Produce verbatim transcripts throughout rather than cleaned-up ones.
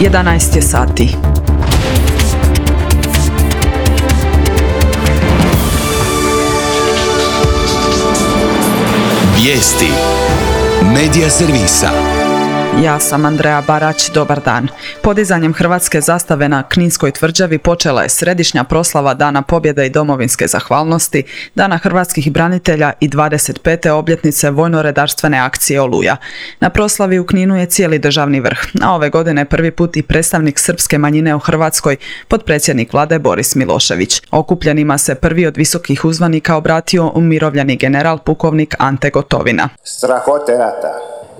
jedanaest je sati. Vijesti Medija servisa. Ja sam Andreja Barać, dobar dan. Podizanjem hrvatske zastave na Kninskoj tvrđavi počela je središnja proslava Dana pobjede i domovinske zahvalnosti, Dana hrvatskih branitelja i dvadeset pete obljetnice vojno-redarstvene akcije Oluja. Na proslavi u Kninu je cijeli državni vrh, a ove godine prvi put i predstavnik srpske manjine u Hrvatskoj, potpredsjednik vlade Boris Milošević. Okupljenima se prvi od visokih uzvanika obratio umirovljeni general pukovnik Ante Gotovina. Strahote rata,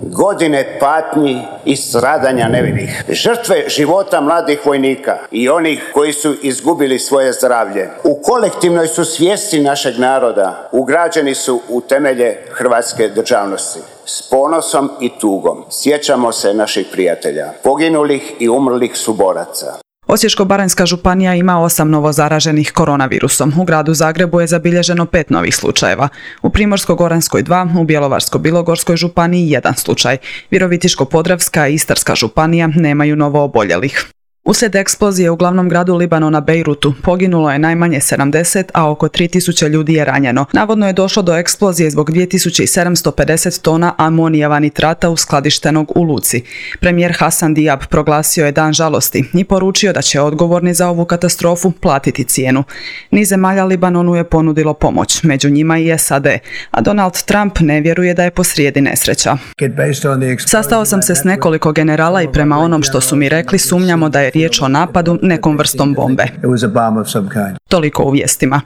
godine patnji i stradanja nevinih, žrtve života mladih vojnika i onih koji su izgubili svoje zdravlje, u kolektivnoj su svijesti našeg naroda ugrađeni su u temelje hrvatske državnosti. S ponosom i tugom sjećamo se naših prijatelja, poginulih i umrlih suboraca. Osječko-baranjska županija ima osam novozaraženih koronavirusom. U gradu Zagrebu je zabilježeno pet novih slučajeva. U Primorsko-goranskoj dva, u Bjelovarsko-bilogorskoj županiji jedan slučaj. Virovitičko-podravska i Istarska županija nemaju novo oboljelih. Uslijed eksplozije u glavnom gradu Libanona Bejrutu poginulo je najmanje sedamdeset, a oko tri tisuće ljudi je ranjeno. Navodno je došlo do eksplozije zbog dvije tisuće sedamsto pedeset tona amonijeva nitrata uskladištenog u luci. Premijer Hasan Diab proglasio je dan žalosti i poručio da će odgovorni za ovu katastrofu platiti cijenu. Niz zemalja Libanonu je ponudilo pomoć, među njima i S A D, a Donald Trump ne vjeruje da je posrijedi nesreća. Sastao sam se s nekoliko generala i prema onom što su mi rekli sumnjamo da je riječ o napadu nekom vrstom bombe. Toliko u vijestima.